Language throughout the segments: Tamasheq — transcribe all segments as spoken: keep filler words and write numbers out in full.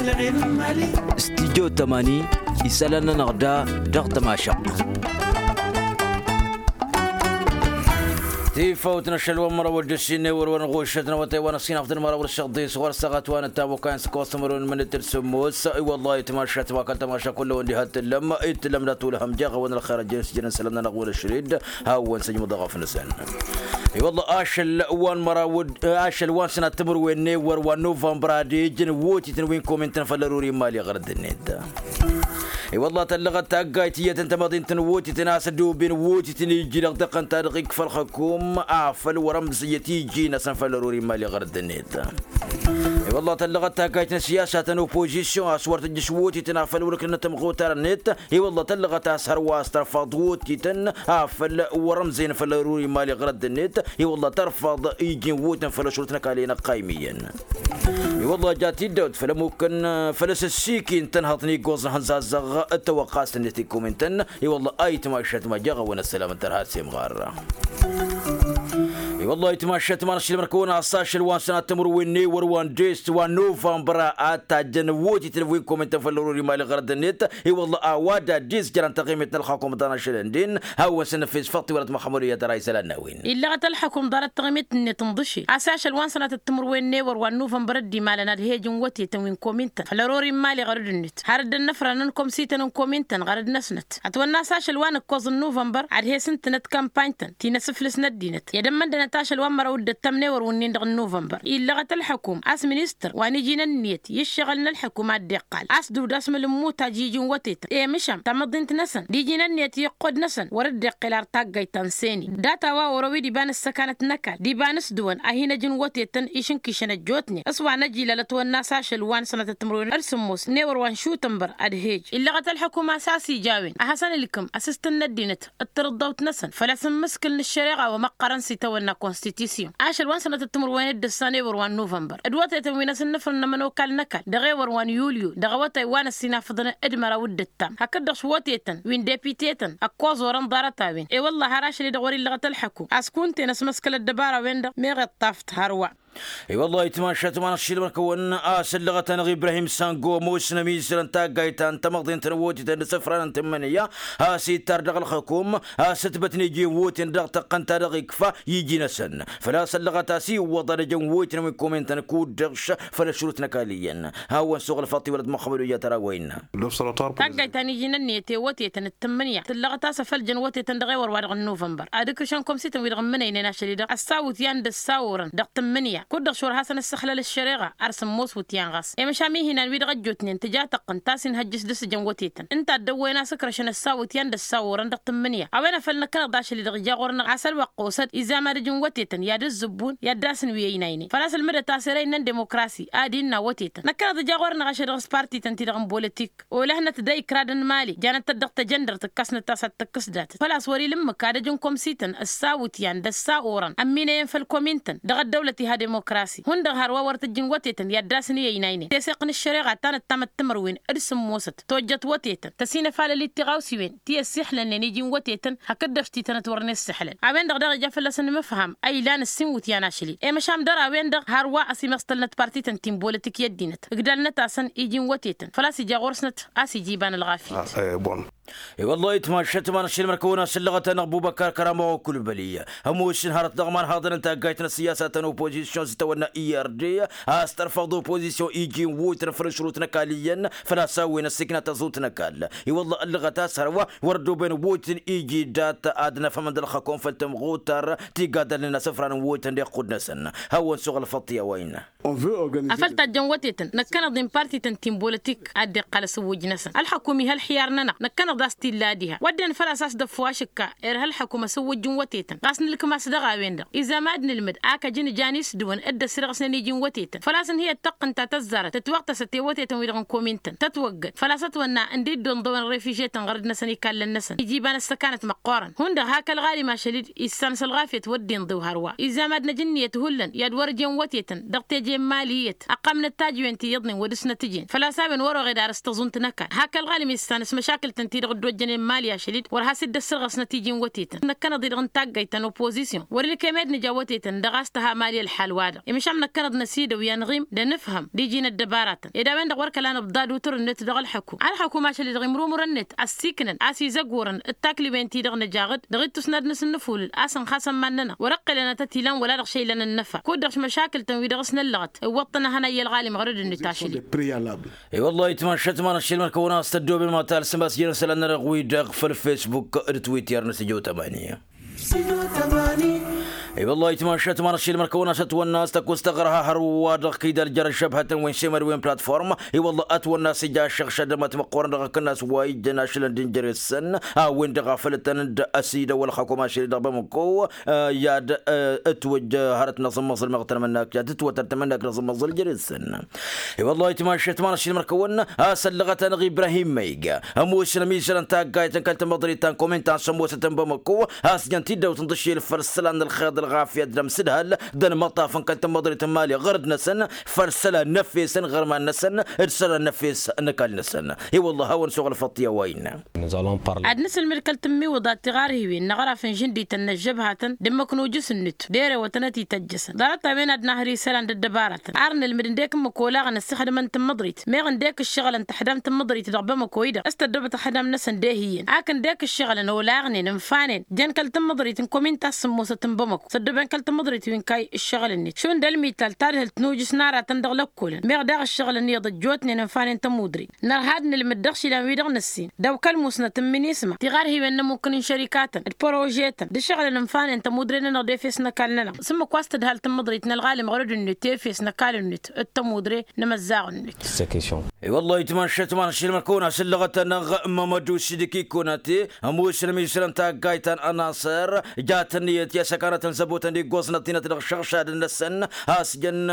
Studyo tămani isălan-nănăɣ da dăɣ-tămašăɣt. Tifawt n-ašăl wa n-măraw d-ăssinne wăr-wăr n-ɣušăt n-awătay wa n-ăssinăɣ d-măraw d-săɣdis ɣur-săɣăt wa n-ăttam okayăn s-kosămărun n-mănăt d-sămmos. I-wăllah itmašat wa kăl-tămaša kull-wăn diha t-tǝllăm itǝllăm d-atulhăm jaɣ-awăn ălxer ăjjăn s-jăn n-sălăm-nănăɣ wăla šrid. Hawăn-săjmăḍ aɣăf-năsăn. I-wălla ašăl wa n-măraw d-ašăl wa n-sănat timǝrwen n-ewăr wa n-novămbăr ad-ijăn wotităn wi n-komintăn făll-ăruri n-imali ɣărăd-net. I-wălla tăllăɣăt taggayt iyyătăn tămăḍint n-wotităn a-s ădooben wotităn iji dăɣ-tăqqăn ta dăɣ-ikfa ălxăkum afăl wăr-ămd s-iyyăt iji-năsăn făll-ăruri n-imali ɣărăd-net. I-wălla tăllăɣăt taggayt n-siyasat n-opozisyon a-s wăr tǝjjǝš wotităn afăl wăr-ǝklănăt tămɣutar-net. I-wălla tăllăɣăt a-s hărwa a-s tărfaḍ wotităn afăl wăr-ămzăyăn făll-ăruri n-imali ɣărăd-net. I-wălla tărfaḍ iji n-wotităn făll-ašrut n-ăkall i-inăqqaymiyyăn. I-wălla ja tiddawt făll-ămukkăn făll-asǝssiki n-tănhăḍt n-iggoẓ n-ihănzazzăɣ d-tawăqqast-net ikkumin-tăn. I-wălla a itmašat ma jaɣ-awăn ăssălam n-tărha s-imɣar. I-wălla itmašat ma n-ašilmăr-kăwăn a-s ašăl wa n-sănat timǝrwen n-ewăr wa n-dest wa n-novămbăr ad-tajjăn wotităn wi n-komintăn făll-ăruri n-imali ɣărăd-net. I-wălla a-wa d-addis jărăn taɣimet n-ălxakum d-anăšăl ǝndin hawăn-săn nǝfes făṭṭ-i wăla t-măxămăd u-iyyăt ăra isălan n-a-wen. Illăɣăt ălxukum ḍarăt taɣimit-net ǝnḍǝše a-s ašăl wa n-sănatăt timǝrwen n-ewăr wa n-nuvămbăr dd-imalăn ad-hejǝn wătetăn wi n-komintăn făll-ărori n-imali ɣărăd-net har dd-ănnăfrănăn komsităn n-komintăn ɣărăd-năsnăt ătwănna a-s ašăl wa n-ǝkkoẓ n-nuvămbăr ad-he-s ǝntǝnăt kampany-tăn ti n-asǝflǝs n-ăddinăt i-ad-ămmăndănăt ašăl wa n-măraw d-ǝttăm n-ewăr wǝnnin-dăɣ n-nuvămbăr illăɣăt ălxukum a-s ministăr wa n-iji n-ǝnniyăt i-ǝššăɣǝl n-ălxukum ad-dd-iqqal a-s dudasmǝl n-imutaj iji n-wătetăn i-măšan tamăḍint-năsăn d-iji n-ǝnniyăt i-iqqud-năsăn wăr-dd-iqqǝl ar taggayt ta n-seni data wa oro-wi d-iba n-ǝssăkanăt n-ăkall d-iba n-s-dăwăn a hin-ăj n-wătetăn išǝnkǝšăn ăjjootnen s-wa n-ăj ilălăt wănna a-s ašăl wa n-sănatăt timǝrwen d-sǝmmos n-ewăr wa n-šutănbăr ădhej illăɣăt ălxukum a-s a-s ija a-wen a hasăn-ǝlkǝm asǝstǝn n-ăddinăt d-tărǝḍḍawt-năsăn făl-a-s ǝmmǝskǝl n-ăššăreɣa wa măqqărăn s-itawănna konstitisyon ašăl wa n-sănatăt timǝrwen d-ǝssan ewăr wa n-nuvănbăr d-wătetăn wi n-asǝnnǝfrǝnnămăn okal n-ăkall dăɣ-ewăr wa n-yulyu dăɣ-awătay wa n-ăssinafăḍăn d-măraw d-ǝttam hakd-dăɣ s-wătetăn wi n-depitetăn ăkkoẓ orăn ḍarăt-a-wen i-wălla har ašăl-i-dăɣ wăr-illăɣăt ălxăkum a-s kunta-en ăsmăskăl ăddăbara-wen-dăɣ meɣ iṭṭaft hărwa. I-wăllah itmašat ma n-ašilmăr-kăwăn a-s ǝllăɣăt-anăɣ ibrahim sango ămoosnăm izrăn taggayt ta n-tamăḍint n-wotităn d-isǝfran n-tǝmmǝnǝya a-s ittar dăɣ-ălxăkum a-s ǝtbătnen iji n-woten dăɣ-tăqqăn ta dăɣ-ikfa iji-năsăn făl-a-s ăllăɣăt a-s iwwăḍ ad-ăjăn woytăn wi n-komintăn kud-dăɣ făll-ašrut n-ăkall iyyăn. Hawăn-suɣǝl făṭṭ-i wăla t-măxxămăd wi jat ărawăyna. Taggayt ta n-iji n-ǝnniyăt i-wătetăn d-tǝmmǝnǝya tǝllăɣăt a-s afăl jăn wătetăn dăɣ-ewăr-wa-dăɣ n-nuvănbăr ad-ǝkrǝšăn komsităn-wi-dăɣ ǝmmǝnăynen ašăl-i-dăɣ ăssawǝtyan d-ăssawurăn dăɣ-tǝmmǝnǝya kud-dăɣ šor hasăn-ǝssăxlăl ăššăreɣa ar sǝmmos wǝtyan ɣas i-măšan mihinan-wi-dăɣ ăjjootnen tǝja tăqqǝnt a-s inhăjjǝs dăr-s jăn wătetăn ǝnta a dd-ăwwăyăn a-s ǝkrăšăn ăssawǝtyan d-ăssawurăn dăɣ-tǝmmǝnǝya a-wen a făl năkkăneḍ d-ašăl-i-dăɣ ija ɣur-năɣ a-s ălwăqq osăd izam ad-ǝjǝn wătetăn i-ad-ǝzzǝbbun i-ad-dd-asǝnwǝy ăynaynen făl-a-s ǝlmǝdăt a-s ere innăn demokrasi ad-innă wătetăn năkkăneḍ ija ɣur-năɣ ašăl-i-dăɣ s-partităn-ti-dăɣ n-bolătik olăhnăt d-ayǝkradăn n-imali janăt-tăt dăɣ-tejăndărt ǝkkăsnăt a-s ad-tǝkkǝs datăt făl-a-s wăr-ila ǝmmǝk ad-ăj n-komsităn ăssawǝtyan d-ăssawurăn ămminăyăn făll-komintăn dăɣ-ăddăwlăt iha demokrasi hundăɣ hărwa wăr tǝjjǝn wătetăn i-ad-dd-asǝn i-ăynaynen teseɣt n-ăššăreɣa ta n-ăttamăt timǝrwen d-sǝmmosăt tojjăt wătetăn tăsinăfalăl-dd tiɣawsiwen ti ăssiixlălnen iji n-wătetăn hakd-dăɣ s-titănăt wăr nǝssǝxlăl a-wen-dăɣ daɣ ija fălla-s ănmǝfham a ilan ǝssin iwǝtyan ašăl-i i-măšan dăr-a-wen-dăɣ hărwa ăsimăstălnăt partităn ti n-bolătik i-ăddinăt ǝgdalnăt-asăn iji n-wătetăn făl-a-s ija ɣur-snăt a-s ija iba n-ălɣafyăt. I-wăllah itmašat ma n-ašilmăr-kăwăn a-s ǝllăɣăt-anăɣ bubăkar kăramăɣ okulbăli ămoosăn hărăt dăɣ-iman haḍăn n-taggayt n-ăssiyasat n-opozisyon s-itawănna i r d a-s tărfăḍ opozisyon iji n-wutăn făll-ašrut n-ăkall iyyăn făl-a-s a-wen ăssiiknat aẓut n-ăkall. I-wăllah ǝllăɣăt a-s hărwa wăr ăddooben wutăn iji dat ad-năfhămăn d-ălxăkom făll-tămɣutar ti gaddalnen asǝfran n-wutăn d-iqqud-năsăn. Hawăn-suɣ ălfăṭṭ i-a-wa innă. Afăl tajjăn wătetăn năkkăneḍ-in partităn ti n-bolătik ad-dd-iqqal asǝwwǝj-năsăn ălxăkum iha ălxiyar-nănăɣ năkkăneḍ a-s t-illa diha wădden făl-a-s a-s dăffu ašǝkka irha ălxăkum asǝwwǝj n-wătetăn ɣas nǝlkǝm-as dăɣ-a-wen-dăɣ izam ad-nǝlmǝd a kăjăn ǝjan isdǝwăn dd-ăsrăɣsnen iji n-wătetăn făl-a-s ǝnhǝyăt tăqqǝnt ta tăzzarăt tǝtwăɣtăsăt i-wătetăn-wi-dăɣ n-komintăn tătwăggăd făl-a-s ătwănna ǝnda iddonḍăwăn refižetăn ɣărăd-năsăn ikallăn-năsăn iji iba n-ăssăkanăt măqqoorăn hundăɣ hak ălɣalim ašăl-dd issan s-ălɣafyăt wăr dd-inḍew hărwa izam ad-năj ǝnniyăt hullan i-ad-wăr-ǝjen wătetăn dăɣ-teje n-imali iyyăt ăqqam n-ăttajǝwen ti iyyăḍnen wăr dăr-s năt-ǝjen făl-a-s a-wen wăr-oɣed ar s-tăẓunt n-ăkall hak ălɣalim issan s-măšakǝl-tăn-ti Dd-ojjănen mali ašăl-dd wăr has-dd-ăssărɣăsnăt iji n-wătetăn năkkănăḍ-i-dăɣ n-taggayt ta n-opozisyon wăr-ilkăy med nǝja wătetăn dăɣ-a-s tăha mali ălḥal-wa-dăɣ. Emišăm năkkănăḍ n-ăsidăw i-anɣim d-anǝfhăm d-iji n-ăddăbaratăn ed a-wen-dăɣ wăr kăla nǝbḍad utǝr-net dăɣ-ălḥăkum. Ălḥăkum ašăl-i-dăɣ imrumǝr-net ăssiiknăn a-s izăgurăn d-takliwen-ti-dăɣ nǝjaɣ-dd dăɣ-ittus n-ad-nǝsǝnnǝfulǝl a-s ănxasăn iman-nănăɣ wăr-ăqqǝlăn ad-tăt-ilan wăla dăɣ-šăylăn ănnăfa kud-dăɣ šmăšakǝl-tăn wi-dăɣ s-năllăɣăt iwwăḍ-tăn ad-hănăy i-ălɣalim ɣărăd-net ašăl-i. I-wăllah itmašat ma n-ašil mărkăwăn a-s tăddobem ma talsăm a-s jere isălan-nănăɣ wi-dăɣ făll-facebook d-twitter n-sijăw tămani. I-wăllah itmašat ma n-ašil mărkăwăn a-s ătwănna a-s tăkust aɣrăha hărwa-dăɣ kăydal jer-ăžžăbhătăn wi n-semăd wi n-platform. I-wăllah ătwănna a-s ija ašăɣšădăm ătmăqqorăn dăɣ-akǝnnas wa ijjăn ašălăn d-injăr-isăn a-wen-dăɣ a făl tăn-dd-ăsidăwăl xakum ašil-i-dăɣ bamăko. I-ad-ǝtwǝjj hărăt n-aẓǝmmăẓǝl meɣ tănmănnak i-ad-ǝtwătăr tămănnak n-aẓǝmmăẓǝl jer-isăn. I-wăllah itmašat ma n-ašil mărkăwăn a-s ăllăɣăt-anăɣ ibrahim măyg ămoosăn ămizărăn taggayt n-kăl-tamăḍrit ta n-komin ta n-sămoosăt n-bamăko a-s jăn tiddawt n-tǝššel făll-isălan n-ălxeḍ ălɣafyăt d-amsǝdhăl d-ănmăṭṭaf n-kăl-tamăḍrit n-mali ɣărăd-năsăn. Făll-isălan n-efes n-iɣărman-năsăn d-isălan n-efes n-ăkall-năsăn. I-wăllah hawăn-suɣǝl făṭṭi a-wa innă. Ad-nǝsǝlmǝd kăl-tǝmmiwǝḍat tiɣarhiwen n-aɣraf n-žǝndităn n-ăžžăbhatăn d-ǝmmǝk n-ujǝs-net d-erewătăn ad-t-ităjjăsăn ḍarăt-a-wen ad-nahăr isălan d-ăddăbarătăn ar nǝlmǝd ǝndek ǝmmǝk olaɣăn ăssixdǝmăn tǝmmǝḍrit meɣ ǝndek ǝššăɣǝlăn tăḥdam tǝmmǝḍrit dăɣ-bamăko-i-dăɣ s-tăddobăt ăxdam-năsăn d-ehǝyyăn ak ǝndek ǝššăɣǝlăn olaɣnen ǝnfanen jăn kăl-tǝmmǝḍrit n-komin ta s-sǝmmosăt n-bamăko s-ăddobăn kăl-tǝmmǝḍrit wi n-kayy ǝššăɣǝl-net šund ălmital tadhǝlt n-ujǝs n-aratăn dăɣ-lăkkolăn meɣ daɣ ǝššăɣǝlăn iyyăḍ ăjjootnen ǝnfanen tămudre. Nărha ad-nǝlmǝd dăɣ-išilan-wi-dăɣ nǝssin d-awkăl musnăt n-minisma tiɣarhiwen n-ămukǝn n-šărikatăn d-părožetăn d-ǝššăɣǝlăn ǝnfanen tămudre-nănăɣ d-efes n-ăkall-nănăɣ s-ǝmmǝk wa s-tǝdhal tǝmmǝḍrit n-ălɣalim ɣărăd-net efes n-ăkall-net d-tămudre n-imăzzaɣ-net. Wăllah itmašat ma n-ašil mărkăwăn a-s ǝllăɣăt-anăɣ mămădu sidiki kunate ămoosăn ămizărăn taggayt ta n-ănasăr jat ǝnniyăt i-asăkanăt n-zăbotăn d-iggoẓ n-ăṭṭinăt dăɣ-išăɣšadăn-năsăn a-s jăn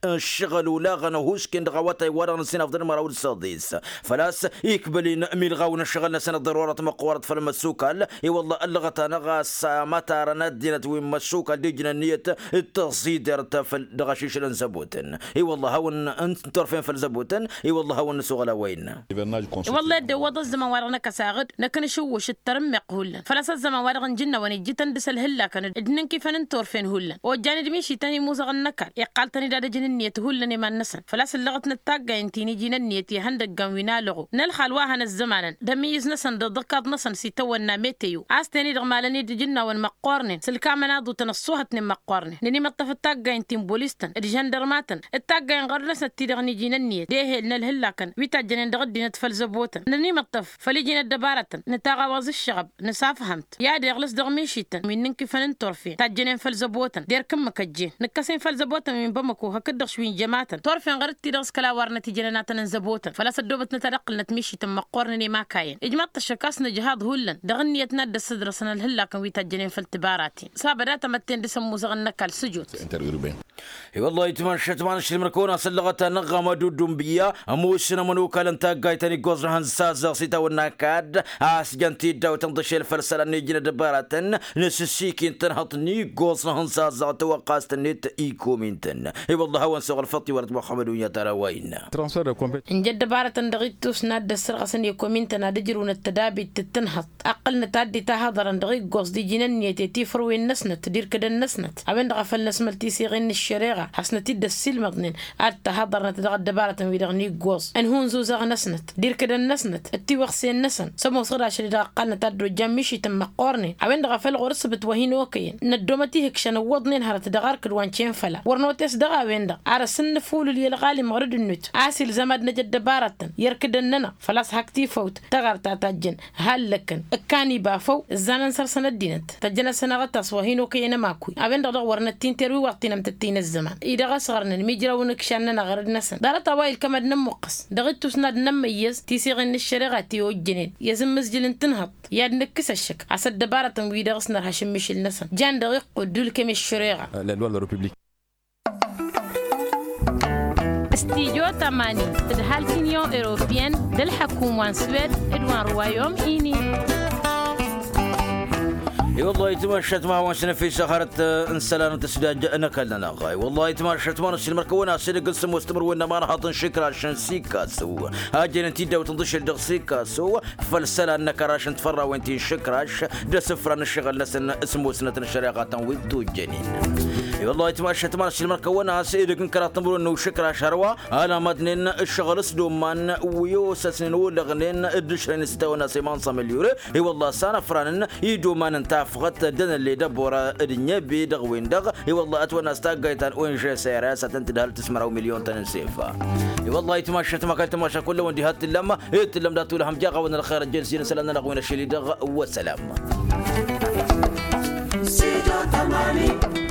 ǝššăɣǝl olaɣăn ăhuusken dăɣ-awătay wa dăɣ-nǝssin afḍăn măraw d-săḍis făl-a-s ikbăl-in milɣaw n-ǝššăɣǝl-năsăn d-ḍărorăt măqqoorăt făll-măssukal. I-wălla ăllăɣăt-anăɣ a-s mătarăn ăddinăt wi n-măssukal d-ijnăn ǝnniyăt d-tăẓidert făll-dăɣ-ašišǝl n-zăbotăn. I-wălla hawăn-ǝntorfen făll-zăbotăn. I-wălla hawăn-nǝsuɣǝl a-wa innă. I-wălla ed dd-iwwăḍ ăzzăman wa dăɣ-năkk ăsaɣǝd năkk nǝšǝwwǝš d-tarǝmmeɣt hullan făl-a-s ăzzăman wa dăɣ-nǝjǝnnawăn ijjǝtăn dăr-s ălhǝllakăn d-inǝnkifăn n-torfen hullan ojjan-dd mišităn imuzăɣăn n-ăkall iqqal-tăn-dd ad-ǝjǝn ǝnniyăt hullan i-iman-năsăn făl-a-s ǝllăɣătnăt taggayen ti n-iji n-ǝnniyăt i-ihăndăggan wi n-alăɣu n-ălxal wa hănăzzămanăn d-ămmiyyǝz-năsăn d-ăḍḍăkaḍ-năsăn s-itawănna meteyo a-s ten-i-dăɣ malăn-dd ijǝnnawăn măqqoornen s-ǝlkamăn aḍutăn ăṣṣuhătnen măqqoornen nǝnimăṭṭăf d-taggayen ti n-bolistăn d-žăndărmatăn d-taggayen ɣărd-năsnăt ti-dăɣ n-iji n-ǝnniyăt d-ehel n-ălhǝllakăn wi tajjănen dăɣ-ăddinăt făll-zăbotăn nǝnimăṭṭăf făll-iji n-ăddăbarătăn nǝtaɣawaẓ ǝššăɣăb nǝsafhăm-t i-ad-iɣlǝs dăɣ-mišităn wi n-inkifăn n-torfen tajjănen făll-zăbotăn d-erk ǝmmǝk ăjjeen nǝkkăs-in făll-zăbotăn wi n-bamăko hakd-dăɣ wi n-jămatăn torfen ɣărăt-ti-dăɣ s-kăla warnăt ijănănatăn n-zăbotăn făl-a-s ăddoobătnăt ad-ǝqqǝlnăt mišităn măqqoornen i-imakayăn ijmaḍ-t ăššăk a-s nǝjhaḍ hullan dăɣ-ǝnniyăt n-ad-dd-ăssădrăsăn ălhǝllakăn wi tajjănen făll-tibaratăn s-abăd a tamătten dăr-s ămmuzăɣăn n-ăkall sǝjot. I-wăllah itmăššăt ma n-ašilmăr-kăwăn-asăllăɣăt-anăɣ amăduddu n-biyya ămoosăn ămănokal n-taggayt ta n-iggoẓ n-ihăn s-azăɣ s-itawănna kadd a-s jăn tiddawt n-iḍǝšel făll-isălan n-iji n-ăddăbaratăn n-asǝssikin tănhăḍt n-iggoẓ n-ihăn s-azăɣ tawăqqast-net ikomintăn. I-wăllah a-wăn suɣ ălfăṭṭ iwărăt muxămmăd unyăt ara wa innă. Ǝnja ăddăbarătăn dăɣ-ittus n-ad-dd-ăssărɣăsăn i-komintăn ad-ǝjrǝwnăt tădabit d-tǝnhăḍt ăqqǝlnăt ad-dd-itahăḍărăn dăɣ-iggoẓ d-iji n-ǝnniyăt i-tifărwen-năsnăt d-irkǝdăn-năsnăt a-wen-dăɣ a făl năsmăl tisiɣin n-ăššăreɣa hasnăt-dd-ăssiilmăḍnen ad-tahăḍărnăt dăɣ-ăddăbarătăn-wi-dăɣ n-iggoẓ ănhunzuzăɣ-năsnăt d-irkǝdăn-năsnăt d-tiwăɣsen-năsăn s-ămoosăɣ d-ašăl-i-dăɣ ăqqalnăt ad-dd-ojjan mišităn măqqoornen a-wen-dăɣ a făl ɣur-ǝssǝbǝt wa hin-okăyăn n-ăddoomăt ihǝkšăn ǝwwăḍnen hărăt dăɣ-arkǝd wa n-cen făla wăr notes dăɣ-a-wen-dăɣ ar ăsǝnnǝfulǝl i-ălɣalim ɣărăd-net a-s ilzam ad-năj ăddăbarătăn i-ărkǝdăn-nănăɣ făl-a-s hak tifăwt tăɣar ta tajjăn hallăkkăn ǝkkan ibafăw ǝzzanăn săr-săn ăddinăt tăjjăn-asănăɣ a tas wa hin-okăyăn ămakui a-wen-dăɣ dăɣ-wăr năttinter wi wa ăṭṭinăm tăttăy n-ăzzăman-i-dăɣ ăsɣărnen mijrawăn ǝkšan-nănăɣ ɣărăd-năsăn ḍarăt a-wa ilkăm ad-nămmuqqăs dăɣ-ittus n-ad-nămmăyyăz tisiɣin n-ăššăreɣa ti ojjănen i-azǝmmǝzjǝl n-tǝnhăḍt i-ad-nǝkkǝs ăššăk a-s ăddăbarătăn-wi-dăɣ s-nărha ašǝmmǝšǝl-năsăn jan dăɣ-iqqud d-ulkăm i-ăššăreɣa. Studyo tămani tǝdhal tinyon europiyăn d-ălḥăkum wa n-swed d-wa n-ruwayom ini. I-wăllah ayǝtmašat ma hawăn-snăfis hărăt n-isălan n-tǝsdaj n-ăkall-nănăɣ. I-wăllah ayǝtmašat ma n-ăssiilmăr kăwăn-as edăgg n-sămoos timǝrwen n-ămanhaḍ n-išǝkraš n-sikkaso hajăn-in-t-dd-awǝtăn d-ašăl dăɣ-sikkaso făll-isălan n-akăraš n-tifărrawen ti n-išǝkraš d-asǝfra n-ǝššăɣǝl-năsăn s-musnăt n-ăššăreɣa ta n-wi t-ujjănen. I-wăllah ayǝtmašat ma n-ăssiilmăr kăwăn-as edăgg n-kăraḍ timǝrwen n-išǝkraš hărwa ălamădnen ǝššăɣǝl s-dd-umman wi osăsnen olăɣnen d-ǝšrăyăn s-tawăn-as imansa mălyure. I-wăllah s-anăfranăn iduman n-tafɣăt d-anălle d-ăbora d-ǝnniyăbe dăɣ-wen-dăɣ. I-wăllah ătwănna s-taggayt ta n-ong sera i-ad-sătăn-tǝdhăl tǝsmăraw milyon-tăn n-sefa. I-wăllah ayǝtmašat ma kăl-tămaša kull a-wen diha t-tǝllăm ed tǝllăm dat-tulhăm jaɣ-awăn ălxer ăjjel s-ijăn isălan-nănăɣ wi n-ašăl-i-dăɣ. Wăssălam. Sido tămani.